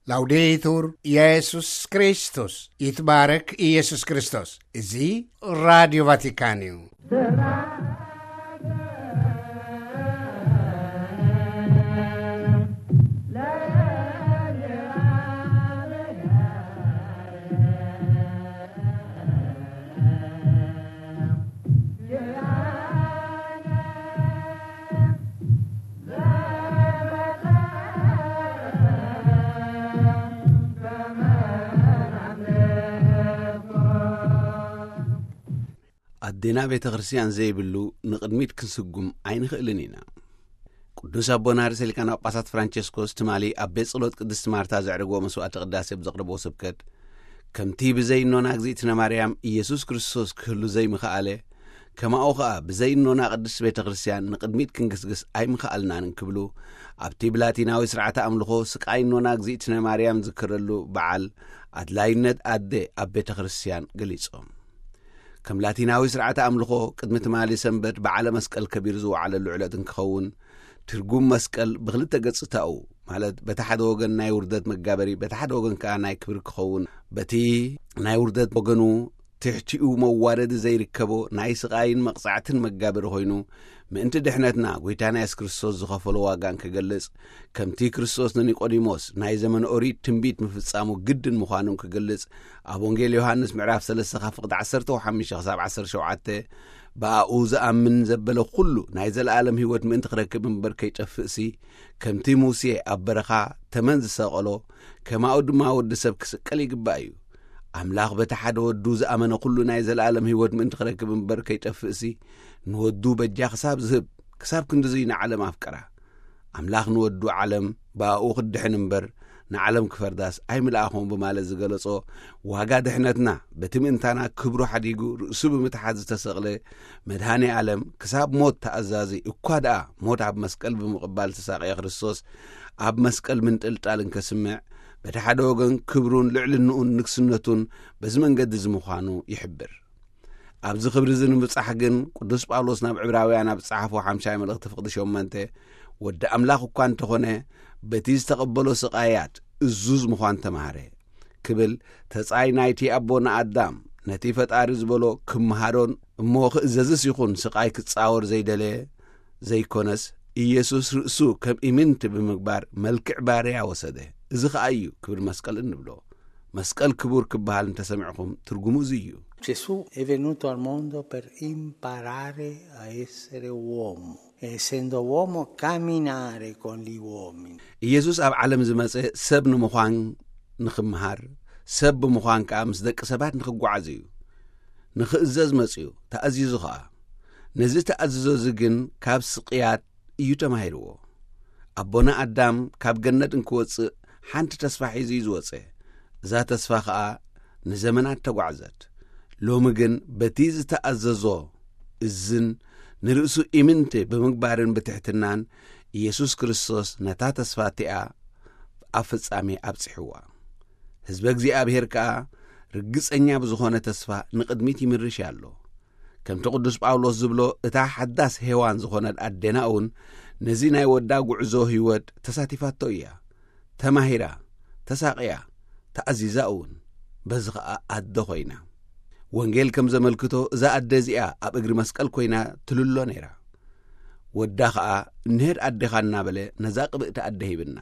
ላውዴቱር ኢየሱስ ክርስቶስ፣ ይትባረክ ኢየሱስ ክርስቶስ። እዚ ራዲዮ ቫቲካን እዩ። ኣዴና ቤተ ክርስቲያን ዘይብሉ ንቕድሚት ክንስጉም ኣይንኽእልን ኢና። ቅዱስ ኣቦና ርእሰ ሊቃነ ጳጳሳት ፍራንቸስኮስ ትማሊ ኣብ ቤት ጸሎት ቅድስቲ ማርታ ዘዕረግዎ መስዋዕተ ቅዳሴ ብዘቕረብዎ ስብከት፣ ከምቲ ብዘይ እኖና እግዝእትነ ማርያም ኢየሱስ ክርስቶስ ክህሉ ዘይምኸኣለ፣ ከማኡ ኸኣ ብዘይ እኖና ቅድስቲ ቤተ ክርስቲያን ንቕድሚት ክንግስግስ ኣይምኸኣልናን እንክብሉ፣ ኣብቲ ብላቲናዊ ስርዓተ ኣምልኾ ስቃይ እኖና እግዝእትነ ማርያም ዝክረሉ በዓል ኣድላይነት ኣደ ኣብ ቤተ ክርስቲያን ገሊጾም። ከም ላቲናዊ ስርዓተ ኣምልኾ ቅድሚ ትማሊ ሰንበት በዓለ መስቀል ከቢሩ ዝወዓለሉ ዕለት እንክኸውን፣ ትርጉም መስቀል ብክልተ ገጽታኡ፣ ማለት በቲ ሓደ ወገን ናይ ውርደት መጋበሪ፣ በቲ ሓደ ወገን ከኣ ናይ ክብሪ ክኸውን፣ በቲ ናይ ውርደት ወገኑ ትሕቲኡ መዋረዲ ዘይርከቦ ናይ ስቓይን መቕጻዕትን መጋበሪ ኮይኑ፣ ምእንቲ ድሕነትና ጐይታና የሱስ ክርስቶስ ዝኸፈሎ ዋጋ እንክገልጽ፣ ከምቲ ክርስቶስ ንኒቆዲሞስ ናይ ዘመነ ኦሪት ትንቢት ምፍጻሙ ግድን ምዃኑ እንክገልጽ፣ ኣብ ወንጌል ዮሃንስ ምዕራፍ ሰለስተ ካብ ፍቕዲ ዓሰርተ ሓሙሽተ ክሳብ ዓሰርተ ሸውዓተ፣ ብኣኡ ዝኣምን ዘበለ ኩሉ ናይ ዘለኣለም ህይወት ምእንቲ ክረክብ እምበር ከይጠፍእሲ፣ ከምቲ ሙሴ ኣብ በረኻ ተመን ዝሰቐሎ፣ ከማኡ ድማ ወዲ ሰብ ክስቀል ይግባእ እዩ። ኣምላኽ በቲ ሓደ ወዱ ዝኣመነ ኩሉ ናይ ዘለኣለም ህይወት ምእንቲ ክረክብ እምበር ከይጠፍእሲ፣ ንወዱ በጃ ክሳብ ዝህብ፣ ክሳብ ክንድዙይ ንዓለም ኣፍቀራ። ኣምላኽ ንወዱ ዓለም ብኣኡ ክድሕን እምበር ንዓለም ክፈርዳስ ኣይምልኣኾም ብማለት ዝገለጾ፣ ዋጋ ድሕነትና በቲ ምእንታና ክብሩ ሓዲጉ ርእሱ ብምትሓት ዝተሰቕለ መድኃኔ ዓለም ክሳብ ሞት ተኣዛዚ እኳ ደኣ ሞት ኣብ መስቀል ብምቕባል ተሳቕየ ክርስቶስ ኣብ መስቀል ምንጥልጣል እንከስምዕ፣ በቲ ሓደ ወገን ክብሩን ልዕልንኡን ንግስነቱን በዚ መንገዲ እዚ ምዃኑ ይሕብር። ኣብዚ ክብሪ እዚ ንምብጻሕ ግን ቅዱስ ጳውሎስ ናብ ዕብራውያን ኣብ ዝጸሓፎ ሓምሻይ መልእኽቲ ፍቕዲ ሸሞንተ፣ ወዲ ኣምላኽ እኳ እንተኾነ፣ በቲ ዝተቐበሎ ስቓያት እዙዝ ምዃን ተማህረ ክብል፣ ተጻይ ናይቲ ኣቦና ኣዳም ነቲ ፈጣሪ ዝበሎ ክምሃሮን እሞ ክእዘዝስ ይኹን ስቓይ ክጻወር ዘይደለየ ዘይኮነስ፣ ኢየሱስ ርእሱ ከም ኢምንት ብምግባር መልክዕ ባርያ ወሰደ። እዚ ኸኣ እዩ ክብሪ መስቀል እንብሎ። መስቀል ክቡር ክበሃል እንተሰሚዕኹም ትርጉሙ እዚ እዩ። Gesù è venuto al mondo per imparare a essere uomo, e essendo uomo camminare con gli uomini. ኢየሱስ ኣብ ዓለም ዝመጸ ሰብ ንምዃን ንኽምሃር፣ ሰብ ብምዃን ከኣ ምስ ደቂ ሰባት ንኽጓዓዝ እዩ። ንኽእዘዝ መጺኡ፣ ተኣዚዙ ኸኣ። ነዚ ተኣዝዞ እዚ ግን ካብ ስቕያት እዩ ተማሂርዎ። ኣቦና ኣዳም ካብ ገነት እንክወጽእ ሓንቲ ተስፋ ሒዙ እዩ ዝወጸ። እዛ ተስፋ ኸኣ ንዘመናት ተጓዕዘት። ሎሚ ግን በቲ ዝተኣዘዞ እዝን ንርእሱ ኢምንቲ ብምግባርን ብትሕትናን ኢየሱስ ክርስቶስ ነታ ተስፋ እቲኣ ኣብ ፍጻሜ ኣብጺሕዋ። ህዝበ እግዚኣብሔር ከኣ ርግጸኛ ብዝኾነ ተስፋ ንቕድሚት ይምርሽ ኣሎ። ከምቲ ቅዱስ ጳውሎስ ዝብሎ፣ እታ ሓዳስ ሄዋን ዝኾነት ኣዴና እውን ነዚ ናይ ወዳ ጉዕዞ ህይወት ተሳቲፋቶ እያ። ተማሂራ፣ ተሳቕያ፣ ተኣዚዛ እውን። በዚ ኸኣ ኣደ ኾይና። ወንጌል ከም ዘመልክቶ፣ እዛ ኣደ እዚኣ ኣብ እግሪ መስቀል ኮይና ትልሎ ነይራ። ወዳ ኸኣ፣ "እንሄድ ኣዴኻ" እናበለ ነዛ ቅብእቲ ኣደ ሂብና።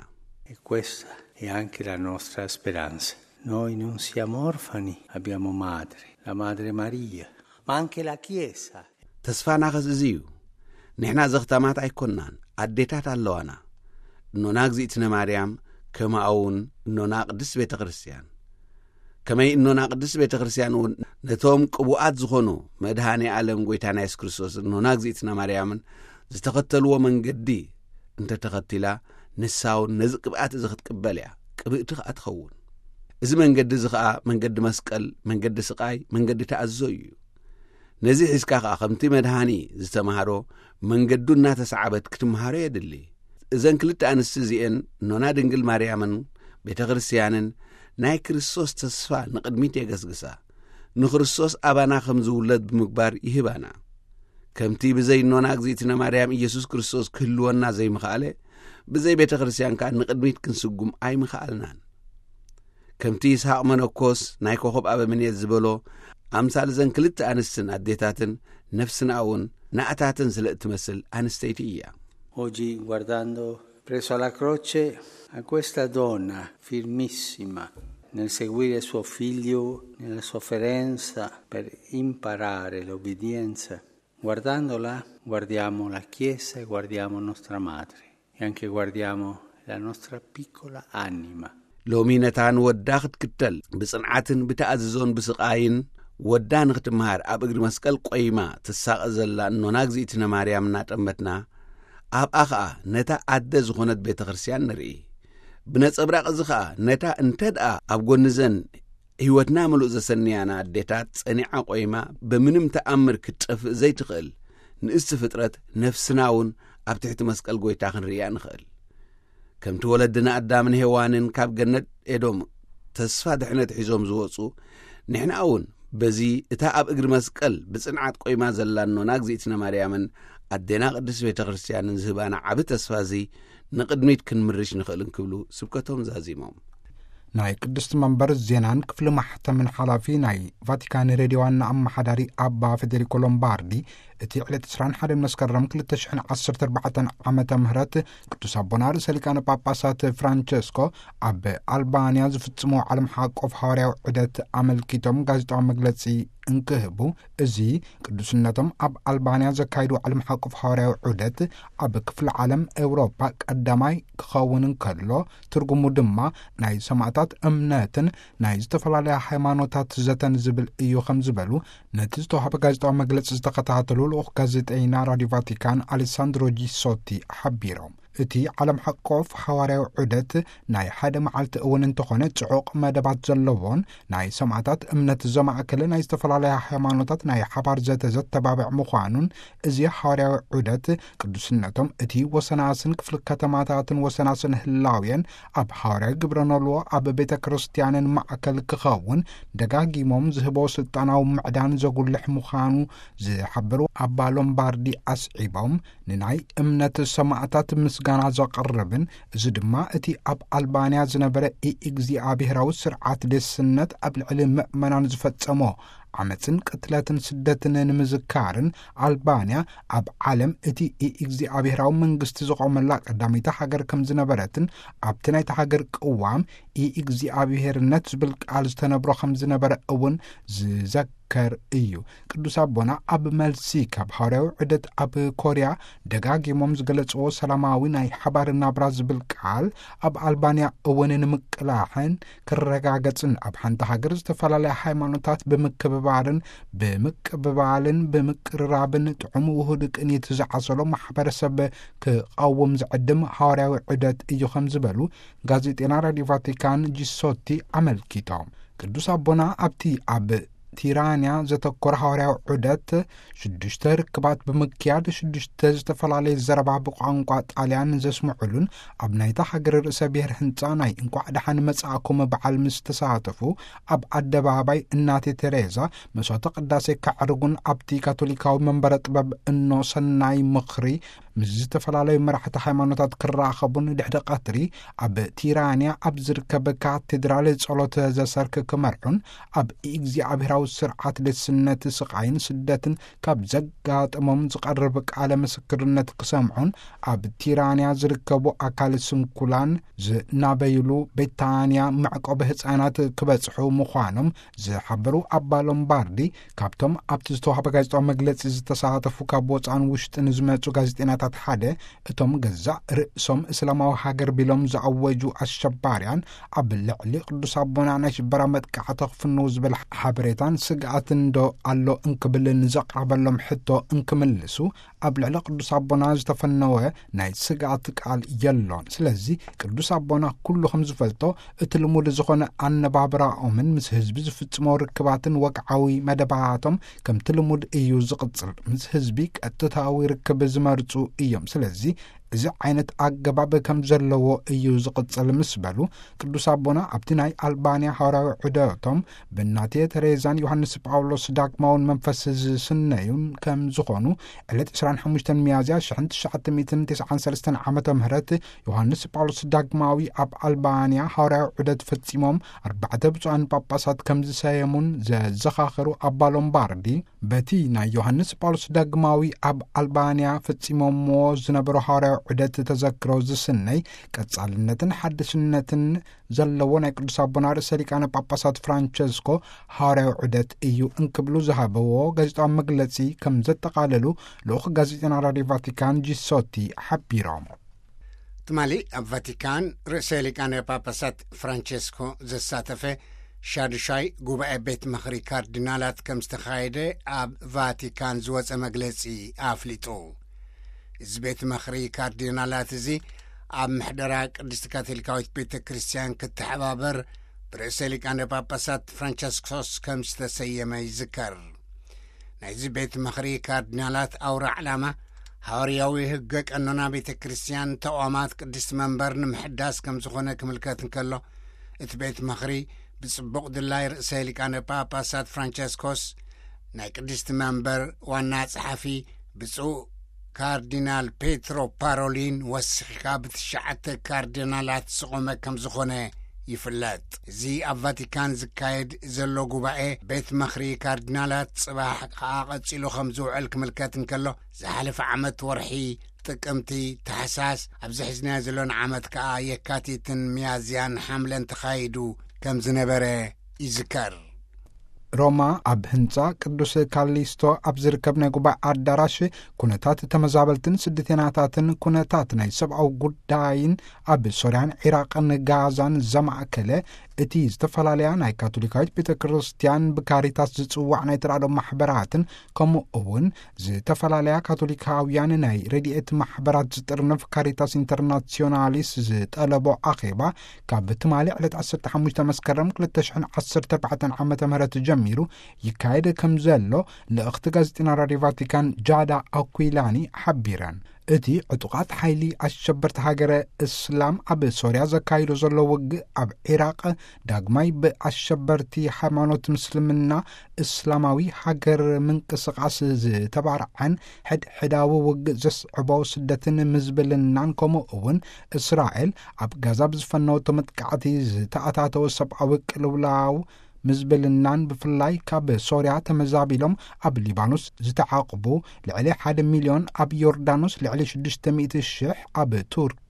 E questa è anche la nostra speranza. Noi non siamo orfani, abbiamo madre, la Madre Maria, ma anche la Chiesa. ተስፋና ኸስ እዚ እዩ። ንሕና ዘኽታማት ኣይኮንናን፣ ኣዴታት ኣለዋና። እኖና እግዚኣብሔር ማርያም፣ ከማኡ እውን እኖና ቅድስት ቤተ ክርስቲያን። ከመይ እኖና ቅድስት ቤተ ክርስቲያን እውን ነቶም ቅቡኣት ዝኾኑ መድኃኔ ዓለም ጐይታና የሱስ ክርስቶስ እኖና እግዚኣብሔር ማርያምን ዝተኸተልዎ መንገዲ እንተ ተኸቲላ፣ ንሳ እውን ነዚ ቅብኣት እዚ ክትቅበል እያ፣ ቅብእቲ ኸኣ ትኸውን። እዚ መንገዲ እዚ ኸኣ መንገዲ መስቀል፣ መንገዲ ስቓይ፣ መንገዲ ተኣዝዞ እዩ። ነዚ ሒዝካ ኸኣ ከምቲ መድኃኒ ዝተማህሮ መንገዱ እናተሰዓበት ክትምሃሮ የድሊ። እዘን ክልተ ኣንስቲ እዚኤን፣ እኖና ድንግል ማርያምን ቤተ ክርስቲያንን፣ ናይ ክርስቶስ ተስፋ ንቕድሚት የገስግሳ። ንክርስቶስ ኣባና ከም ዝውለድ ብምግባር ይህባና። ከምቲ ብዘይ እኖና እግዚኣብሔር ማርያም ኢየሱስ ክርስቶስ ክህልወና ዘይምኸኣለ፣ ብዘይ ቤተ ክርስቲያን ከኣ ንቕድሚት ክንስጉም ኣይምኸኣልናን። ከምቲ ይስሐቅ መነኮስ ናይ ኮኸብ ኣበምኔት ዝበሎ፣ ኣምሳል ዘን ክልተ ኣንስትን ኣዴታትን፣ ነፍስና እውን ንኣታትን ስለ እትመስል ኣንስተይቲ እያ። Oggi, guardando presso la croce a questa donna firmissima nel seguire suo figlio nella sofferenza per imparare l'obbedienza, guardandola, guardiamo la Chiesa e guardiamo nostra madre e anche guardiamo la nostra piccola anima. ሎሚ ነታ ንወዳ ክትክተል ብጽንዓትን ብተኣዝዞን ብስቓይን፣ ወዳ ንኽትመሃር ኣብ እግሪ መስቀል ቆይማ ትሳቐ ዘላ እኖና እግዚኣብነ ማርያም እናጠመትና፣ ኣብኣ ኸኣ ነታ ኣደ ዝኾነት ቤተ ክርስቲያን ንርኢ። ብነጸብራቕ እዚ ኸኣ ነታ እንተ ደኣ ኣብ ጎኒ ዘን ህይወትና ምሉእ ዘሰንያና ኣዴታት ጸኒዓ ቆይማ ብምንም ተኣምር ክትጠፍእ ዘይትኽእል ንእስቲ ፍጥረት ነፍስና እውን ኣብ ትሕቲ መስቀል ጐይታ ክንርእያ ንኽእል። ከምቲ ወለድና ኣዳምን ሄዋንን ካብ ገነት ኤዶም ተስፋ ድሕነት ሒዞም ዝወጹ፣ ንሕና እውን በዚ እታ ኣብ እግሪ መስቀል ብጽንዓት ቆይማ ዘላ እኖና እግዚኣብነ ማርያምን ኣዴና ቅድስት ቤተ ክርስቲያንን ዝህባና ዓቢ ተስፋ እዚ ንቕድሚት ክንምርሽ ንኽእል እንክብሉ ስብከቶም ዛዚሞም። ናይ ቅድስቲ መንበር ዜናን ክፍሊ ማሕተምን ሓላፊ ናይ ቫቲካን ሬድዮ ዋና ኣመሓዳሪ ኣባ ፌዴሪኮ ሎምባርዲ፣ እቲ ዕለት ዕስራን ሓደን መስከረም ክልተ ሽሕን ዓሰርተ ኣርባዕተን ዓመተ ምህረት ቅዱስ ኣቦና ርእሰ ሊቃነ ጳጳሳት ፍራንቸስኮ ኣብ ኣልባንያ ዝፍጽሞ ዓለም ሓቆፍ ሃዋርያዊ ዑደት ኣመልኪቶም ጋዜጣዊ መግለጺ እንክህቡ፣ እዚ ቅዱስነቶም ኣብ ኣልባንያ ዘካይዱ ዓለም ሓቆፍ ሃዋርያዊ ዑደት ኣብ ክፍለ ዓለም ኤውሮጳ ቀዳማይ ክኸውን እንከሎ፣ ትርጉሙ ድማ ናይ ሰማእታት እምነትን ናይ ዝተፈላለያ ሃይማኖታት ዘተን ዝብል እዩ ከም ዝበሉ ነቲ ዝተዋህበ ጋዜጣዊ መግለጺ ዝተኸታተሉ ልኡኽ ጋዜጠይና ራዲዮ ቫቲካን ኣሌሳንድሮ ጂሶቲ ሓቢሮም። እቲ ዓለም ሓቆፍ ሓዋርያዊ ዑደት ናይ ሓደ መዓልቲ እውን እንተኾነ ጽዑቕ መደባት ዘለዎን ናይ ሰማእታት እምነት ዘማእከለ ናይ ዝተፈላለያ ሃይማኖታት ናይ ሓባር ዘተ ዘተባብዕ ምዃኑን፣ እዚ ሓዋርያዊ ዑደት ቅዱስነቶም እቲ ወሰናስን ክፍሊ ከተማታትን ወሰናስን ህላውየን ኣብ ሓዋርያዊ ግብረ ኖልዎ ኣብ ቤተ ክርስቲያንን ማእከል ክኸውን ደጋጊሞም ዝህቦ ስልጣናዊ ምዕዳን ዘጉልሕ ምዃኑ ዝሓበሩ ኣባ ሎምባርዲ ኣስዒቦም፣ ንናይ እምነት ሰማእታት ምስጋና ዘቕርብን፣ እዚ ድማ እቲ ኣብ ኣልባንያ ዝነበረ ኢእግዚኣብሄራዊ ስርዓት ዴስነት ኣብ ልዕሊ ምእመናን ዝፈጸሞ ዓመጽን ቅትለትን ስደትን ንምዝካርን፣ ኣልባንያ ኣብ ዓለም እቲ ኢእግዚኣብሄራዊ መንግስቲ ዝቖመላ ቀዳመይቲ ሃገር ከም ዝነበረትን፣ ኣብቲ ናይቲ ሃገር ቅዋም ኢእግዚኣብሄርነት ዝብል ቃል ዝተነብሮ ከም ዝነበረ እውን ዝዘከር እዩ። ቅዱስ ኣቦና ኣብ መልሲ ካብ ሃዋርያዊ ዑደት ኣብ ኮርያ ደጋጊሞም ዝገለጽዎ ሰላማዊ ናይ ሓባር ናብራ ዝብል ቃል ኣብ ኣልባንያ እውን ንምቅላሕን ክረጋገጽን፣ ኣብ ሓንቲ ሃገር ዝተፈላለያ ሃይማኖታት ብምክብባርን ብምቅብባልን ብምቅርራብን ጥዑም ውሁድ ቅኒት ዝዓሰሎ ማሕበረሰብ ክቐውም ዝዕድም ሃዋርያዊ ዑደት እዩ ከም ዝበሉ ጋዜጠና ራዲዮ ቫቲካን ጂሶቲ ኣመልኪቶም። ቅዱስ ኣቦና ኣብቲ ኣብ ቲራንያ ዘተኮረ ሃዋርያዊ ዑደት ሽዱሽተ ርክባት ብምክያድ፣ ሽዱሽተ ዝተፈላለየ ዘረባ ብቋንቋ ጣልያን ዘስምዑሉን ኣብ ናይታ ሃገር ርእሰ ብሔር ህንጻ ናይ እንቋዕ ደሓን መጻእኩም በዓል ምስ ተሳተፉ፣ ኣብ ኣደባባይ እናቴ ቴሬዛ መስዋዕተ ቅዳሴ ከዕርጉን ኣብቲ ካቶሊካዊ መንበረ ጥበብ እኖ ሰናይ ምኽሪ ምስ ዝተፈላለዩ መራሕቲ ሃይማኖታት ክራኸቡን ድሕሪ ቀትሪ ኣብ ቲራንያ ኣብ ዝርከብ ካቴድራል ጸሎተ ዘሰርክ ክመርሑን ኣብ እግዚኣብሔራዊ ስርዓት ደስነት ስቓይን ስደትን ካብ ዘጋጠሞም ዝቐርብ ቃለ ምስክርነት ክሰምዑን ኣብ ቲራንያ ዝርከቡ ኣካል ስንኩላን ዝናበይሉ ቤታንያ መዕቆቢ ህጻናት ክበጽሑ ምዃኖም ዝሓበሩ ኣባ ሎምባርዲ፣ ካብቶም ኣብቲ ዝተዋህበ ጋዜጣዊ መግለጺ ዝተሳተፉ ካብ ወጻእን ውሽጥን ዝመጹ ጋዜጠኛታት ሓደ፣ እቶም ገዛእ ርእሶም እስላማዊ ሃገር ቢሎም ዝኣወጁ ኣሸባርያን ኣብ ልዕሊ ቅዱስ ኣቦና ናይ ሽበራ መጥቃዕቲ ክፍንዉ ዝብል ሓበሬታን ስግኣትን ዶ ኣሎ እንክብል ንዘቕረበሎም ሕቶ እንክምልሱ፣ ኣብ ልዕሊ ቅዱስ ኣቦና ዝተፈነወ ናይ ስግኣት ቃል የሎን። ስለዚ ቅዱስ ኣቦና ኩሉ ከም ዝፈልጦ እቲ ልሙድ ዝኾነ ኣነባብራኦምን ምስ ህዝቢ ዝፍጽሞ ርክባትን ወግዓዊ መደባቶም ከምቲ ልሙድ እዩ ዝቕጽል። ምስ ህዝቢ ቀጥታዊ ርክብ ዝመርጹ እዮም። ስለዚ እዚ ዓይነት ኣገባብ ከም ዘለዎ እዩ ዝቕጽል ምስ በሉ፣ ቅዱስ ኣቦና ኣብቲ ናይ ኣልባንያ ሃዋርያዊ ዑደቶም ብናቴ ተሬዛን ዮሃንስ ጳውሎስ ዳግማውን መንፈስ ዝስነዩን ከም ዝኾኑ፣ ዕለት ዕስራን ሓሙሽተን ሚያዝያ ሽሕን ትሽዓተ ሚእትን ተስዓን ሰለስተን ዓመተ ምህረት ዮሃንስ ጳውሎስ ዳግማዊ ኣብ ኣልባንያ ሃዋርያዊ ዑደት ፈጺሞም ኣርባዕተ ብፁዓን ጳጳሳት ከም ዝሰየሙን ዘዘኻኸሩ ኣባ ሎምባርዲ፣ በቲ ናይ ዮሃንስ ጳውሎስ ዳግማዊ ኣብ ኣልባንያ ፈጺሞምዎ ዝነበሩ ሃዋርያዊ ዑደት ተዘክሮ ዝስነይ ቀጻልነትን ሓድስነትን ዘለዎ ናይ ቅዱስ ኣቦና ርእሰ ሊቃነ ጳጳሳት ፍራንቸስኮ ሃዋርያዊ ዑደት እዩ እንክብሉ ዝሃበዎ ጋዜጣዊ መግለጺ ከም ዘጠቓለሉ ልኡኽ ጋዜጠና ራድዮ ቫቲካን ጂሶቲ ሓቢሮም። ትማሊ ኣብ ቫቲካን ርእሰ ሊቃነ ጳጳሳት ፍራንቸስኮ ዘሳተፈ ሻዱሻይ ጉባኤ ቤት ምኽሪ ካርዲናላት ከም ዝተኻየደ ኣብ ቫቲካን ዝወጸ መግለጺ ኣፍሊጡ። እዚ ቤት ምኽሪ ካርዲናላት እዚ ኣብ ምሕደራ ቅድስቲ ካቶሊካዊት ቤተ ክርስቲያን ክተሓባበር ብርእሰ ሊቃነ ጳጳሳት ፍራንቸስኮስ ከም ዝተሰየመ ይዝከር። ናይዚ ቤት ምኽሪ ካርዲናላት ኣውራ ዕላማ ሃዋርያዊ ህገ ቀኖና ቤተ ክርስቲያን ተቋማት ቅድስቲ መንበር ንምሕዳስ ከም ዝኾነ ክምልከት እንከሎ፣ እቲ ቤት ምኽሪ ብጽቡቕ ድላይ ርእሰ ሊቃነ ጳጳሳት ፍራንቸስኮስ፣ ናይ ቅድስቲ መንበር ዋና ጸሓፊ ብፁዕ ካርዲናል ፔትሮ ፓሮሊን ወሲኽካ ብትሽዓተ ካርዲናላት ዝቖመ ከም ዝኾነ ይፍለጥ። እዚ ኣብ ቫቲካን ዝካየድ ዘሎ ጉባኤ ቤት ምኽሪ ካርዲናላት ጽባሕ ከኣ ቀጺሉ ከም ዝውዕል ክምልከት እንከሎ፣ ዝሓለፈ ዓመት ወርሒ ጥቅምቲ፣ ታሕሳስ፣ ኣብዚ ሒዝናዮ ዘሎና ዓመት ከኣ የካቲትን ሚያዝያን ሓምለን ተኻይዱ ከም ዝነበረ ይዝከር። ሮማ ኣብ ህንጻ ቅዱስ ካሊስቶ ኣብ ዝርከብ ናይ ጉባኤ ኣዳራሽ ኩነታት ተመዛበልትን ስደተኛታትን ኩነታት ናይ ሰብኣዊ ጉዳይን ኣብ ሶርያን ዒራቅን ጋዛን ዘማእከለ እቲ ዝተፈላለያ ናይ ካቶሊካዊት ቤተ ክርስቲያን ብካሪታስ ዝጽዋዕ ናይ ተራድኦ ማሕበራትን ከምኡ እውን ዝተፈላለያ ካቶሊካውያን ናይ ረድኤት ማሕበራት ዝጥርንፍ ካሪታስ ኢንተርናሲዮናሊስ ዝጠለቦ ኣኼባ ካብ ትማሊ ዕለት ዓሰርተ ሓሙሽተ መስከረም ክልተ ሽሕን ዓሰርተ ኣርባዕተን ዓመተ ምህረት ጀሚሩ ይካየድ ከም ዘሎ ልእኽቲ ጋዜጠና ራድዮ ቫቲካን ጃዳ ኣኩይላኒ ሓቢረን። እቲ ዕጡቓት ሓይሊ ኣሸበርቲ ሃገረ እስላም ኣብ ሶርያ ዘካይዶ ዘሎ ውግእ ኣብ ዒራቕ ዳግማይ ብኣሸበርቲ ሃይማኖት ምስልምና እስላማዊ ሃገር ምንቅስቓስ ዝተባርዐን ሕድሕዳዊ ውግእ ዘስዕቦ ስደትን ምዝብልናን ከምኡ እውን እስራኤል ኣብ ጋዛ ብዝፈነወቶ መጥቃዕቲ ዝተኣታተወ ሰብኣዊ ቅልውላው ምዝብልናን ብፍላይ ካብ ሶርያ ተመዛቢሎም ኣብ ሊባኖስ ዝተዓቕቡ ልዕሊ ሓደ ሚልዮን፣ ኣብ ዮርዳኖስ ልዕሊ ሽዱሽተ ሚእቲ ሽሕ፣ ኣብ ቱርኪ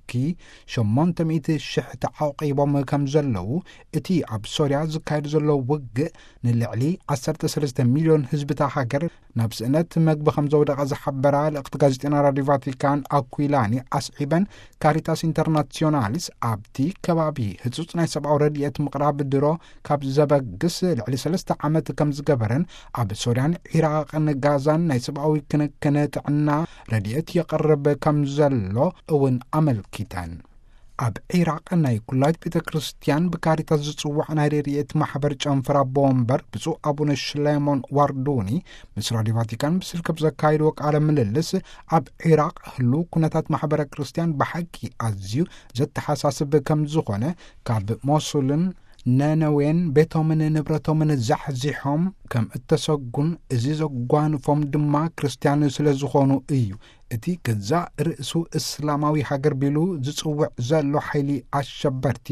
ሸሞንተ ሚእቲ ሽሕ ተዓቂቦም ከም ዘለዉ፣ እቲ ኣብ ሶርያ ዝካየድ ዘሎ ውግእ ንልዕሊ ዓሰርተ ሰለስተ ሚልዮን ህዝብታ ሃገር ናብ ስእነት መግቢ ከም ዘውደቐ ዝሓበራ ልእኽቲ ጋዜጠና ራድዮ ቫቲካን ኣኩይላኒ ኣስዒበን፣ ካሪታስ ኢንተርናሲዮናሊስ ኣብቲ ከባቢ ህጹጽ ናይ ሰብኣዊ ረድኤት ምቕራብ ድሮ ካብ ዘበግስ ልዕሊ ሰለስተ ዓመት ከም ዝገበረን፣ ኣብ ሶርያን ዒራቕን ጋዛን ናይ ሰብኣዊ ክንክን ጥዕና ረድኤት የቕርብ ከም ዘሎ እውን ኣመልኪተን። ኣብ ዒራቕ ናይ ኩላዊት ቤተ ክርስቲያን ብካሪታስ ዝጽዋዕ ናይ ረድኤት ማሕበር ጨንፈር ኣቦ ወንበር ብፁዕ ኣቡነ ሽሌሞን ዋርዱኒ ምስ ራድዮ ቫቲካን ብስልኪ ብዘካየድዎ ቃለ ምልልስ፣ ኣብ ዒራቕ ህሉ ኩነታት ማሕበረ ክርስቲያን ብሓቂ ኣዝዩ ዘተሓሳስብ ከም ዝኾነ፣ ካብ ሞሱልን ነነዌን ቤቶምን ንብረቶምን ዛሕዚሖም ከም እተሰጉን፣ እዚ ዘጓንፎም ድማ ክርስቲያን ስለ ዝኾኑ እዩ። እቲ ገዛእ ርእሱ እስላማዊ ሃገር ቢሉ ዝጽውዕ ዘሎ ሓይሊ ኣሸበርቲ፣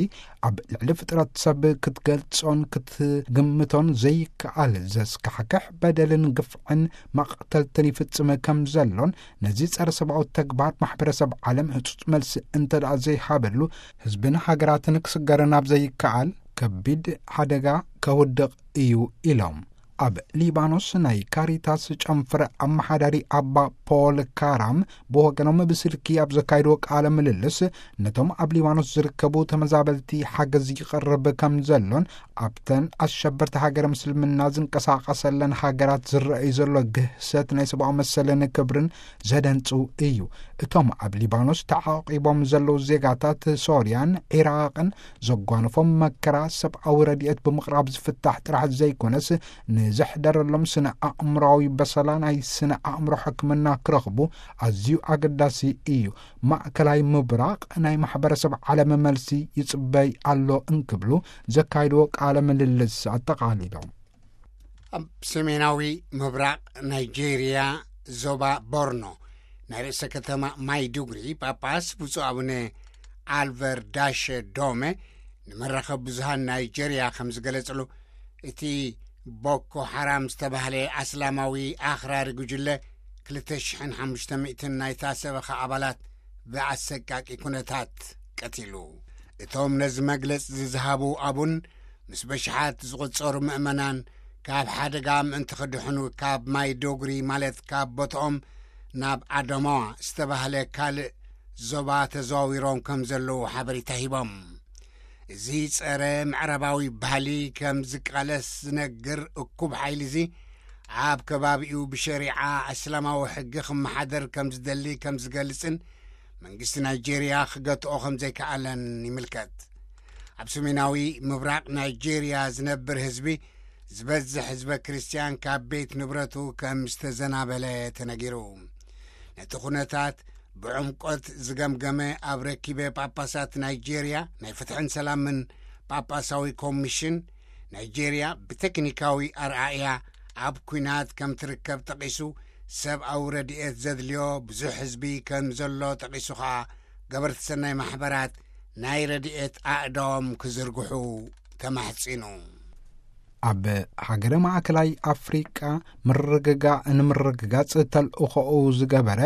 ኣብ ልዕሊ ፍጥረት ሰብ ክትገልጾን ክትግምቶን ዘይከኣል ዘስካሕክሕ በደልን ግፍዕን መቕተልትን ይፍጽም ከም ዘሎን፣ ነዚ ጸረ ሰብኣዊ ተግባር ማሕበረሰብ ዓለም ህጹጽ መልሲ እንተ ደኣ ዘይሃበሉ፣ ህዝብን ሃገራትን ክስገርን ኣብ ዘይከኣል ከቢድ ሓደጋ ከውድቕ እዩ ኢሎም። ኣብ ሊባኖስ ናይ ካሪታስ ጨንፈር ኣመሓዳሪ ኣባ ፖል ካራም ብወገኖም ብስልኪ ኣብ ዘካየድዎ ቃለ ምልልስ፣ ነቶም ኣብ ሊባኖስ ዝርከቡ ተመዛበልቲ ሓገዝ ይቐርብ ከም ዘሎን፣ ኣብተን ኣሸበርቲ ሃገረ ምስልምና ዝንቀሳቐሰለን ሃገራት ዝረኣዩ ዘሎ ግህሰት ናይ ሰብኣዊ መሰልን ክብርን ዘደንጹ እዩ። እቶም ኣብ ሊባኖስ ተዓቂቦም ዘለዉ ዜጋታት ሶርያን ዒራቕን ዘጓንፎም መከራ ሰብኣዊ ረድኤት ብምቕራብ ዝፍታሕ ጥራሕ ዘይኮነስ፣ ንዘሕደረሎም ስነ ኣእምሮዊ በሰላ ናይ ስነ ኣእምሮ ሕክምና ክረኽቡ ኣዝዩ ኣገዳሲ እዩ። ማእከላይ ምብራቕ ናይ ማሕበረሰብ ዓለም መልሲ ይጽበይ ኣሎ እንክብሉ ዘካይድዎ ቃለ ምልልስ ኣጠቓሊሎም። ኣብ ሰሜናዊ ምብራቕ ናይጄርያ ዞባ ቦርኖ ናይ ርእሰ ከተማ ማይዱግሪ ጳጳስ ብፁዕ ኣቡነ ኣልቨር ዳሸ ዶመ ንመራኸብ ብዙሃን ናይጄርያ ከም ዝገለጽሉ፣ እቲ ቦኮ ሓራም ዝተባህለ ኣስላማዊ ኣኽራሪ ጉጅለ ክልተ ሽሕን ሓሙሽተ ሚእትን ናይታ ሰበኻ ኣባላት ብኣሰቃቂ ኩነታት ቀቲሉ። እቶም ነዚ መግለጺ ዝዝሃቡ ኣቡን ምስ በሽሓት ዝቑጸሩ ምእመናን ካብ ሓደጋ ምእንቲ ክድሕኑ ካብ ማይ ዶግሪ ማለት ካብ ቦትኦም ናብ ኣደማዋ ዝተባህለ ካልእ ዞባ ተዘዋዊሮም ከም ዘለዉ ሓበሬታ ሂቦም። እዚ ጸረ ምዕራባዊ ባህሊ ከም ዝቃለስ ዝነግር እኩብ ሓይሊ እዚ ኣብ ከባቢኡ ብሸሪዓ እስላማዊ ሕጊ ክመሓደር ከም ዝደሊ ከም ዝገልጽን መንግስቲ ናይጄርያ ክገትኦ ከም ዘይከኣለን ይምልከት። ኣብ ሰሜናዊ ምብራቕ ናይጄርያ ዝነብር ህዝቢ ዝበዝሕ ህዝበ ክርስትያን ካብ ቤት ንብረቱ ከም ዝተዘናበለ ተነጊሩ። ነቲ ኩነታት ብዕምቆት ዝገምገመ ኣብ ረኪበ ጳጳሳት ናይጄርያ ናይ ፍትሕን ሰላምን ጳጳሳዊ ኮሚሽን ናይጄርያ ብቴክኒካዊ ኣርኣእያ ኣብ ኲናት ከም ትርከብ ጠቒሱ፣ ሰብኣዊ ረድኤት ዘድልዮ ብዙሕ ህዝቢ ከም ዘሎ ጠቒሱ ኸኣ ገበርቲ ሰናይ ማሕበራት ናይ ረድኤት ኣእዳዎም ክዝርግሑ ተማሕጺኑ። ኣብ ሃገረ ማእከላይ ኣፍሪቃ ምርግጋእ ንምርግጋጽ ተልእኾኡ ዝገበረ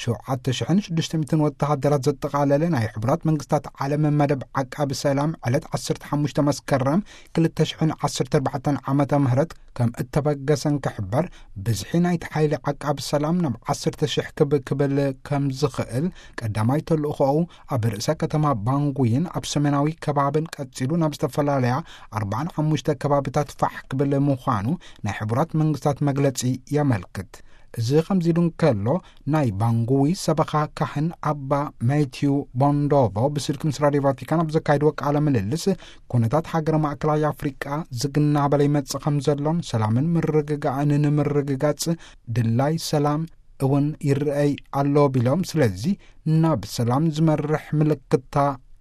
ሸውዓተ ሽሕን ሽዱሽተ ሚእትን ወተሃደራት ዘጠቓለለ ናይ ሕቡራት መንግስታት ዓለም መደብ ዓቃቢ ሰላም ዕለት ዓሰርተ ሓሙሽተ መስከረም ክልተ ሽሕን ዓሰርተ ኣርባዕተን ዓመተ ምህረት ከም እተበገሰን ክሕበር፣ ብዝሒ ናይቲ ሓይሊ ዓቃቢ ሰላም ናብ ዓሰርተ ሽሕ ክብ ክብል ከም ዝኽእል ቀዳማይ ተልእኾኡ ኣብ ርእሰ ከተማ ባንጉይን ኣብ ሰሜናዊ ከባብን ቀጺሉ ናብ ዝተፈላለያ ኣርባዓን ሓሙሽተ ከባብታት ፋሕ ክብል ምዃኑ ናይ ሕቡራት መንግስታት መግለጺ የመልክት። እዚ ከምዚ ኢሉ እንከሎ፣ ናይ ባንጉዊ ሰበኻ ካህን ኣባ ማቲዩ ቦንዶቮ ብስልኪ ምስ ራድዮ ቫቲካን ኣብ ዘካይድዎ ቃለ ምልልስ፣ ኩነታት ሃገረ ማእከላይ ኣፍሪቃ ዝግና በለ ይመጽእ ከም ዘሎን ሰላምን ምርግጋእን ንምርግጋጽ ድላይ ሰላም እውን ይረኣይ ኣሎ ቢሎም፣ ስለዚ ናብ ሰላም ዝመርሕ ምልክታ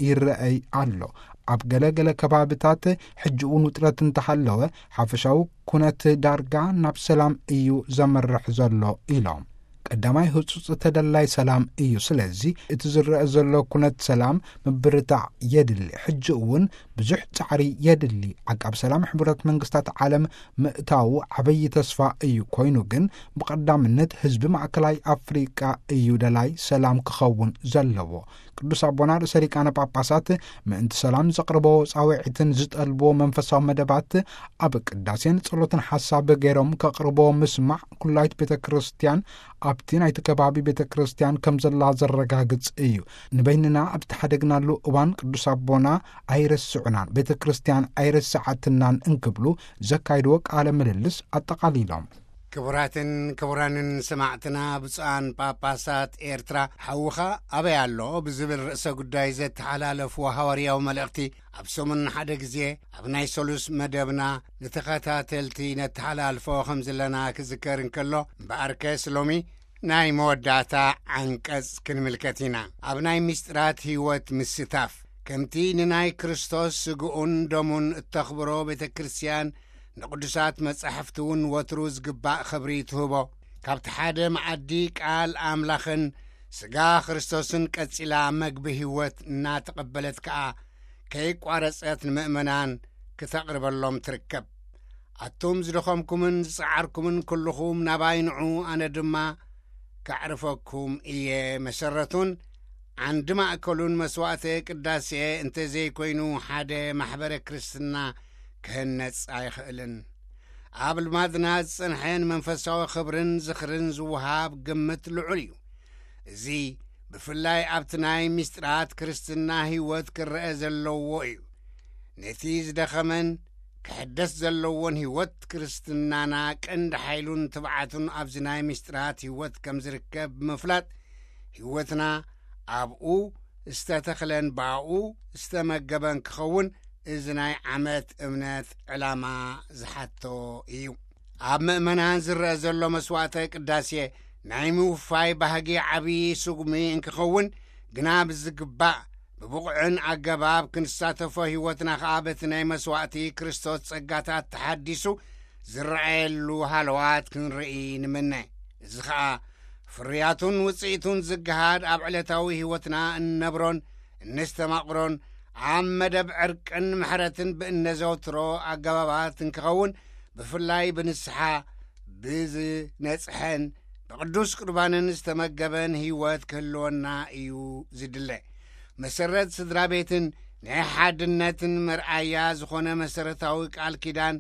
ይረኣይ ኣሎ። ኣብ ገለ ገለ ከባብታት ሕጂ እውን ውጥረት እንተሃለወ፣ ሓፈሻዊ ኩነት ዳርጋ ናብ ሰላም እዩ ዘመርሕ ዘሎ ኢሎም። ቀዳማይ ህጹጽ ተደላይ ሰላም እዩ። ስለዚ እቲ ዝረአ ዘሎ ኩነት ሰላም ምብርታዕ የድሊ። ሕጂ እውን ብዙሕ ጻዕሪ የድሊ። ዓቃብ ሰላም ሕቡራት መንግስታት ዓለም ምእታዉ ዓበዪ ተስፋ እዩ። ኮይኑ ግን ብቐዳምነት ህዝቢ ማእከላይ ኣፍሪቃ እዩ ደላይ ሰላም ክኸውን ዘለዎ። ቅዱስ ኣቦና ርእሰ ሊቃነ ጳጳሳት ምእንቲ ሰላም ዘቕርቦ ጻውዒትን ዝጠልብዎ መንፈሳዊ መደባት ኣብ ቅዳሴን ጸሎትን ሓሳብ ገይሮም ከቕርቦ ምስማዕ ኩላይት ቤተ ክርስቲያን ኣብቲ ናይቲ ከባቢ ቤተ ክርስቲያን ከም ዘላ ዘረጋግጽ እዩ። ንበይንና ኣብ ዝተሓደግናሉ እዋን ቅዱስ ኣቦና ኣይረስዑናን፣ ቤተ ክርስቲያን ኣይረስዓትናን እንክብሉ ዘካይድዎ ቃለ ምልልስ ኣጠቓሊሎም። ክቡራትን ክቡራንን ሰማዕትና፣ ብፁዓን ጳጳሳት ኤርትራ ሓውኻ ኣበይ ኣሎ ብዝብል ርእሰ ጉዳይ ዘተሓላለፍዎ ሃዋርያዊ መልእኽቲ ኣብ ሰሙን ሓደ ግዜ ኣብ ናይ ሰሉስ መደብና ንተኸታተልቲ ነተሓላልፎ ከም ዘለና ክዝከር እንከሎ፣ እምበኣርከስ ሎሚ ናይ መወዳእታ ዓንቀጽ ክንምልከት ኢና። ኣብ ናይ ምስጢራት ህይወት ምስታፍ፣ ከምቲ ንናይ ክርስቶስ ስግኡን ደሙን እተኽብሮ ቤተ ክርስቲያን፣ ንቅዱሳት መጻሕፍቲ እውን ወትሩ ዝግባእ ኽብሪ ትህቦ። ካብቲ ሓደ መኣዲ ቃል ኣምላኽን ስጋ ክርስቶስን ቀጺላ መግቢ ህይወት እናተቐበለት ከኣ ከይቋረጸት ንምእመናን ክተቕርበሎም ትርከብ። ኣቱም ዝደኸምኩምን ዝጸዓርኩምን ኩልኹም ናባይ ንዑ፣ ኣነ ድማ ከዕርፈኩም እየ። መሰረቱን ዓንዲ ማእከሉን መስዋዕተ ቅዳሴ እንተ ዘይኮይኑ ሓደ ማሕበረ ክርስትና ክህነጽ ኣይኽእልን። ኣብ ልማድና ዝጸንሐ ንመንፈሳዊ ክብርን ዝኽርን ዝወሃብ ግምት ልዑል እዩ። እዚ ብፍላይ ኣብቲ ናይ ምስጢራት ክርስትና ህይወት ክረአ ዘለዎ እዩ። ነቲ ዝደኸመን ክሕደስ ዘለዎን ህይወት ክርስትናና ቀንዲ ሓይሉን ትብዓቱን ኣብዚ ናይ ምስጢራት ህይወት ከም ዝርከብ ብምፍላጥ፣ ህይወትና ኣብኡ ዝተተኽለን ብኣኡ ዝተመገበን ክኸውን እዚ ናይ ዓመት እምነት ዕላማ ዝሓቶ እዩ። ኣብ ምእመናን ዝረአ ዘሎ መስዋዕተ ቅዳሴ ናይ ምውፋይ ባህጊ ዓብዪ ስጉሚ እንክኸውን፣ ግና ብዝግባእ ብብቑዕን ኣገባብ ክንሳተፎ፣ ህይወትና ኸኣ በቲ ናይ መስዋዕቲ ክርስቶስ ጸጋታት ተሓዲሱ ዝረኣየሉ ሃለዋት ክንርኢ ንምነ። እዚ ኸኣ ፍርያቱን ውጽኢቱን ዝገሃድ ኣብ ዕለታዊ ህይወትና እንነብሮን እነስተማቕሮን ኣብ መደብ ዕርቅን ምሕረትን ብእነዘውትሮ ኣገባባት እንክኸውን፣ ብፍላይ ብንስሓ ብዝነጽሐን ብቅዱስ ቁርባንን ዝተመገበን ህይወት ክህልወና እዩ ዝድለ። መሰረት ስድራ ቤትን ናይ ሓድነትን መርኣያ ዝኾነ መሰረታዊ ቃል ኪዳን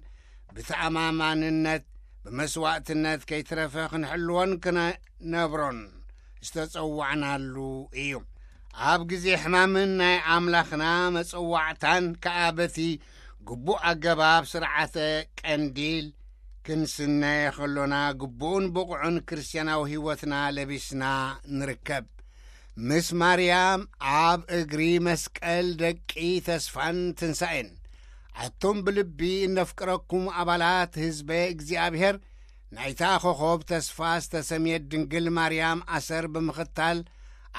ብተኣማማንነት ብመስዋዕትነት ከይትረፈ ክንሕልዎን ክነነብሮን ዝተጸዋዕናሉ እዩ። ኣብ ግዜ ሕማምን ናይ ኣምላኽና መጸዋዕታን ከኣ በቲ ግቡእ ኣገባብ ስርዓተ ቀንዲል ክንስነ ከሎና፣ ግቡእን ብቑዕን ክርስትያናዊ ህይወትና ለቢስና ንርከብ። ምስ ማርያም ኣብ እግሪ መስቀል ደቂ ተስፋን ትንሳኤን። ኣቱም ብልቢ እነፍቅረኩም ኣባላት ህዝበ እግዚኣብሔር፣ ናይታ ኮኾብ ተስፋ ዝተሰምየት ድንግል ማርያም ኣሰር ብምኽታል፣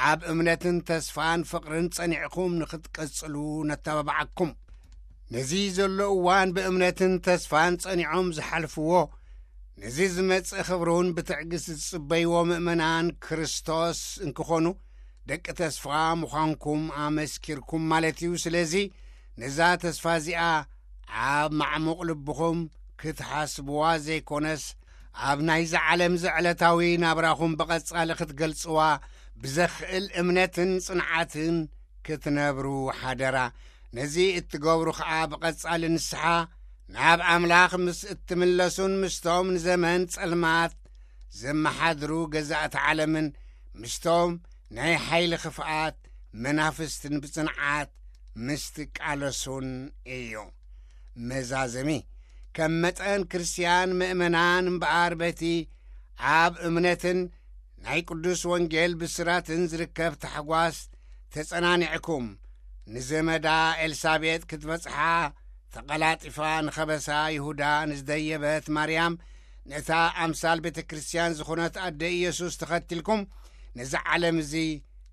ኣብ እምነትን ተስፋን ፍቕርን ጸኒዕኩም ንኽትቀጽሉ ነተባብዓኩም። ነዚ ዘሎ እዋን ብእምነትን ተስፋን ጸኒዖም ዝሓልፍዎ፣ ነዚ ዝመጽእ ክብሩን ብትዕግስቲ ዝጽበይዎ ምእመናን ክርስቶስ እንክኾኑ፣ ደቂ ተስፋ ምዃንኩም ኣመስኪርኩም ማለት እዩ። ስለዚ ነዛ ተስፋ እዚኣ ኣብ ማዕሙቕ ልብኹም ክትሓስብዋ ዘይኮነስ፣ ኣብ ናይዛ ዓለም እዚ ዕለታዊ ናብራኹም ብቐጻሊ ክትገልጽዋ፣ ብዘኽእል እምነትን ጽንዓትን ክትነብሩ ሓደራ። ነዚ እትገብሩ ኸኣ ብቐጻሊ ንስሓ ናብ ኣምላኽ ምስ እትምለሱን ምስቶም ንዘመን ጸልማት ዘመሓድሩ ገዛእቲ ዓለምን ምስቶም ናይ ሓይሊ ክፍኣት መናፍስትን ብጽንዓት ምስ ትቃለሱን እዩ። መዛዘሚ፣ ከም መጠን ክርስትያን ምእመናን እምበኣር በቲ ኣብ እምነትን ናይ ቅዱስ ወንጌል ብስራትን ዝርከብ ታሕጓስ ተጸናኒዕኩም፣ ንዘመዳ ኤልሳቤጥ ክትበጽሓ ተቐላጢፋ ንኸበሳ ይሁዳ ንዝደየበት ማርያም፣ ነታ ኣምሳል ቤተ ክርስቲያን ዝኾነት ኣደ ኢየሱስ ተኸቲልኩም፣ ነዚ ዓለም እዚ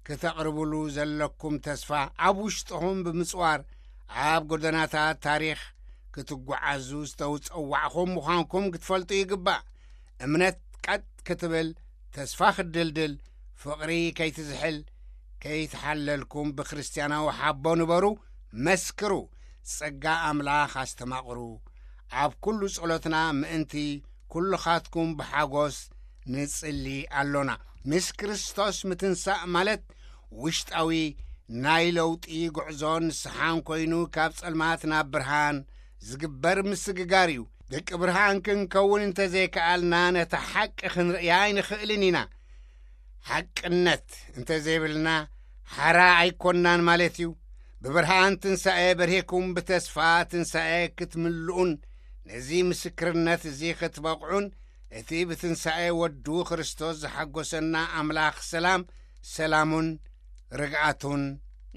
ክተቕርብሉ ዘለኩም ተስፋ ኣብ ውሽጥኹም ብምጽዋር፣ ኣብ ጎደናታት ታሪኽ ክትጓዓዙ ዝተውጸዋዕኹም ምዃንኩም ክትፈልጡ ይግባእ። እምነት ቀጥ ክትብል፣ ተስፋ ክትድልድል፣ ፍቕሪ ከይትዝሕል፣ ከይትሓለልኩም ብክርስትያናዊ ሓቦ ንበሩ፣ መስክሩ፣ ጸጋ ኣምላኽ ኣስተማቕሩ። ኣብ ኩሉ ጸሎትና ምእንቲ ኩልኻትኩም ብሓጎስ ንጽሊ ኣሎና። ምስ ክርስቶስ ምትንሳእ ማለት ውሽጣዊ ናይ ለውጢ ጉዕዞን ንስሓን ኮይኑ፣ ካብ ጸልማት ናብ ብርሃን ዝግበር ምስግጋር እዩ። ደቂ ብርሃን ክንከውን እንተዘይከኣልና፣ ነታ ሓቂ ክንርእያ ኣይንኽእልን ኢና። ሓቅነት እንተዘይብልና፣ ሓራ ኣይኮንናን ማለት እዩ። ብብርሃን ትንሳኤ በርሂኩም፣ ብተስፋ ትንሳኤ ክትምልኡን ነዚ ምስክርነት እዚ ክትበቕዑን፣ እቲ ብትንሳኤ ወዱ ክርስቶስ ዝሓጎሰና ኣምላኽ ሰላም፣ ሰላሙን ርግኣቱን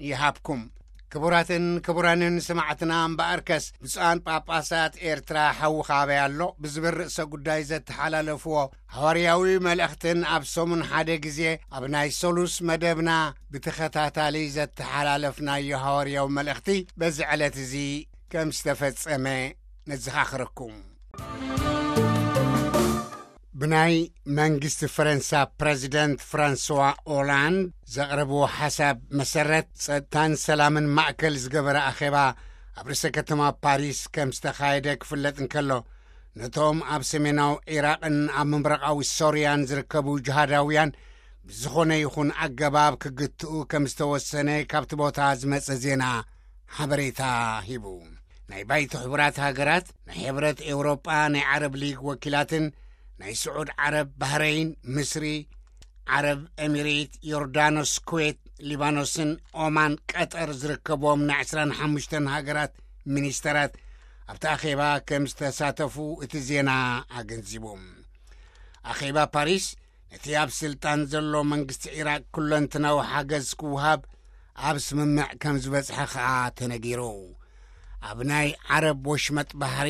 ይሃብኩም። ክቡራትን ክቡራንን ሰማዕትና፣ እምበኣርከስ ብፁዓን ጳጳሳት ኤርትራ ሓዊ ካበይ ኣሎ ብዝብል ርእሰ ጉዳይ ዘተሓላለፍዎ ሃዋርያዊ መልእኽትን ኣብ ሰሙን ሓደ ግዜ ኣብ ናይ ሰሉስ መደብና ብተኸታታሊ ዘተሓላለፍናዮ ሃዋርያዊ መልእኽቲ በዚ ዕለት እዚ ከም ዝተፈጸመ ነዘኻኽረኩም። ብናይ መንግስቲ ፈረንሳ ፕረዚደንት ፍራንስዋ ኦላንድ ዘቕረብዎ ሓሳብ መሰረት፣ ጸጥታን ሰላምን ማእከል ዝገበረ ኣኼባ ኣብ ርእሰ ከተማ ፓሪስ ከም ዝተኻየደ ክፍለጥ እንከሎ፣ ነቶም ኣብ ሰሜናዊ ዒራቕን ኣብ ምብራቓዊ ሶርያን ዝርከቡ ጅሃዳውያን ብዝኾነ ይኹን ኣገባብ ክግትኡ ከም ዝተወሰነ ካብቲ ቦታ ዝመጸ ዜና ሓበሬታ ሂቡ። ናይ ባይቶ ሕቡራት ሃገራት፣ ናይ ሕብረት ኤውሮጳ፣ ናይ ዓረብ ሊግ ወኪላትን ናይ ስዑድ ዓረብ፣ ባህረይን፣ ምስሪ፣ ዓረብ ኤሚሬት፣ ዮርዳኖስ፣ ኩዌት፣ ሊባኖስን ኦማን፣ ቀጠር ዝርከብዎም ናይ ዕስራን ሓሙሽተን ሃገራት ሚኒስተራት ኣብቲ ኣኼባ ከም ዝተሳተፉ እቲ ዜና ኣገንዚቡ። ኣኼባ ፓሪስ ነቲ ኣብ ስልጣን ዘሎ መንግስቲ ዒራቅ ኩለንትናዊ ሓገዝ ክወሃብ ኣብ ስምምዕ ከም ዝበጽሐ ከኣ ተነጊሩ። ኣብ ናይ ዓረብ ወሽመጥ ባሕሪ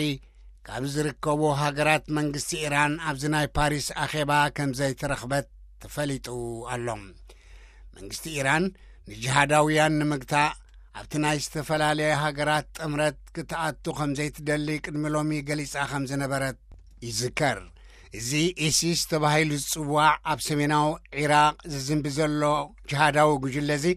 ካብ ዝርከቡ ሃገራት መንግስቲ ኢራን ኣብዚ ናይ ፓሪስ ኣኼባ ከም ዘይተረኽበት ተፈሊጡ ኣሎ። መንግስቲ ኢራን ንጅሃዳውያን ንምግታእ ኣብቲ ናይ ዝተፈላለያ ሃገራት ጥምረት ክትኣቱ ከም ዘይትደሊ ቅድሚ ሎሚ ገሊጻ ከም ዝነበረት ይዝከር። እዚ ኢሲስ ተባሂሉ ዝጽዋዕ ኣብ ሰሜናዊ ዒራቕ ዝዝንቢ ዘሎ ጅሃዳዊ ጉጅለ እዚ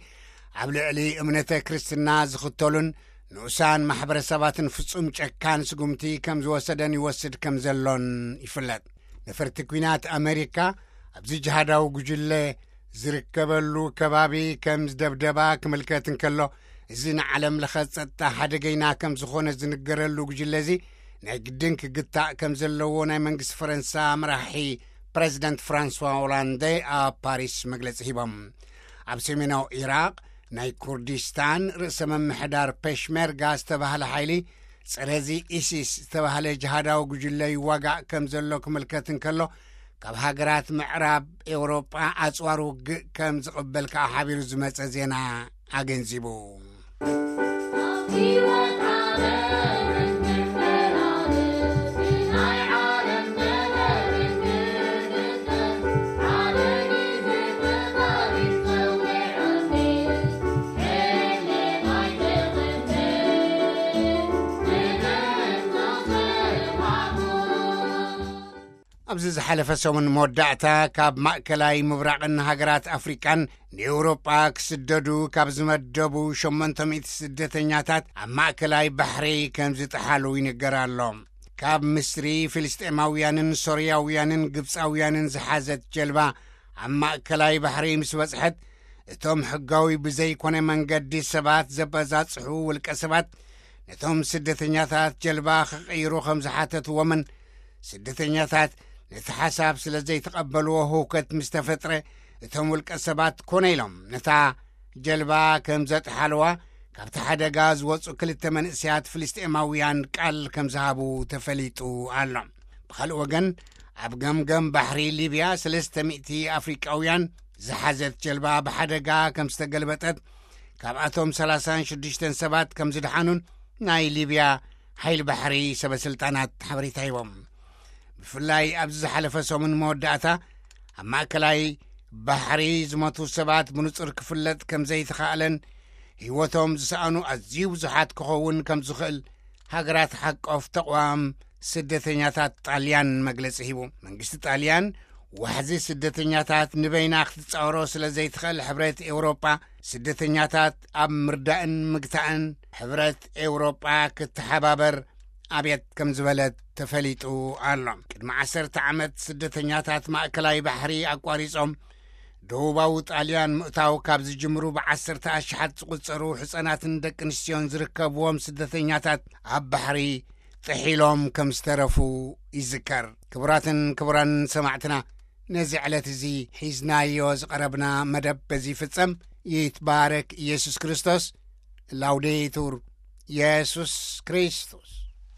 ኣብ ልዕሊ እምነተ ክርስትና ዝኽተሉን ንኡሳን ማሕበረሰባትን ፍጹም ጨካን ስጉምቲ ከም ዝወሰደን ይወስድ ከም ዘሎን ይፍለጥ። ነፈርቲ ኲናት ኣመሪካ ኣብዚ ጅሃዳዊ ጉጅለ ዝርከበሉ ከባቢ ከም ዝደብደባ ክምልከት እንከሎ፣ እዚ ንዓለም ለኸ ጸጥታ ሓደገይና ከም ዝኾነ ዝንገረሉ ጉጅለ እዚ ናይ ግድን ክግታእ ከም ዘለዎ ናይ መንግስቲ ፈረንሳ መራሒ ፕረዚደንት ፍራንስዋ ኦላንደ ኣብ ፓሪስ መግለጺ ሂቦም። ኣብ ሰሜናዊ ኢራቕ ናይ ኩርዲስታን ርእሰ መምሕዳር ፔሽሜርጋ ዝተባህለ ሓይሊ ጸረዚ ኢሲስ ዝተባህለ ጅሃዳዊ ጉጅለ ይዋጋእ ከም ዘሎ ክምልከት እንከሎ፣ ካብ ሃገራት ምዕራብ ኤውሮጳ ኣጽዋር ውግእ ከም ዝቕበል ከኣ ሓቢሩ ዝመጸ ዜና ኣገንዚቡ። ኣብዚ ዝሓለፈ ሰሙን መወዳእታ፣ ካብ ማእከላይ ምብራቕን ሃገራት ኣፍሪቃን ንኤውሮጳ ክስደዱ ካብ ዝመደቡ ሸሞንተ ሚእቲ ስደተኛታት ኣብ ማእከላይ ባሕሪ ከም ዝጠሓሉ ይንገር ኣሎ። ካብ ምስሪ፣ ፍልስጤማውያንን ሶርያውያንን ግብጻውያንን ዝሓዘት ጀልባ ኣብ ማእከላይ ባሕሪ ምስ በጽሐት፣ እቶም ሕጋዊ ብዘይኮነ መንገዲ ሰባት ዘበዛጽሑ ውልቀ ሰባት ነቶም ስደተኛታት ጀልባ ክቕይሩ ከም ዝሓተትዎምን፣ ስደተኛታት ነቲ ሓሳብ ስለ ዘይተቐበልዎ ህውከት ምስ ተፈጥረ፣ እቶም ውልቀ ሰባት ኮነ ኢሎም ነታ ጀልባ ከም ዘጥሓልዋ ካብቲ ሓደጋ ዝወጹ ክልተ መንእሰያት ፍልስጤማውያን ቃል ከም ዝሃቡ ተፈሊጡ ኣሎ። ብኻልእ ወገን፣ ኣብ ገምገም ባሕሪ ሊብያ ሰለስተ ሚእቲ ኣፍሪቃውያን ዝሓዘት ጀልባ ብሓደጋ ከም ዝተገልበጠት፣ ካብኣቶም ሰላሳን ሽዱሽተን ሰባት ከም ዝደሓኑን ናይ ሊብያ ሓይሊ ባሕሪ ሰበ ስልጣናት ሓበሬታ ሂቦም። ብፍላይ ኣብዚ ዝሓለፈ ሰሙን መወዳእታ፣ ኣብ ማእከላይ ባሕሪ ዝሞቱ ሰባት ብንጹር ክፍለጥ ከም ዘይተኻእለን፣ ህይወቶም ዝሰኣኑ ኣዝዩ ብዙሓት ክኸውን ከም ዝኽእል ሃገራት ሓቆፍ ተቕዋም ስደተኛታት ጣልያን መግለጺ ሂቡ። መንግስቲ ጣልያን ዋሕዚ ስደተኛታት ንበይና ክትጻወሮ ስለ ዘይትኽእል፣ ሕብረት ኤውሮጳ ስደተኛታት ኣብ ምርዳእን ምግታእን ሕብረት ኤውሮጳ ክትሓባበር ኣብየት ከም ዝበለት ተፈሊጡ ኣሎ። ቅድሚ ዓሰርተ ዓመት ስደተኛታት ማእከላይ ባሕሪ ኣቋሪጾም ደቡባዊ ጣልያን ምእታው ካብ ዝጅምሩ ብዓሰርተ ኣሽሓት ዝቑጸሩ ሕጻናትን ደቂ ኣንስትዮን ዝርከብዎም ስደተኛታት ኣብ ባሕሪ ጥሒሎም ከም ዝተረፉ ይዝከር። ክቡራትን ክቡራን ሰማዕትና፣ ነዚ ዕለት እዚ ሒዝናዮ ዝቐረብና መደብ በዚ ይፍጸም። ይትባረክ ኢየሱስ ክርስቶስ። ላውዴቱር ኢየሱስ ክርስቶስ።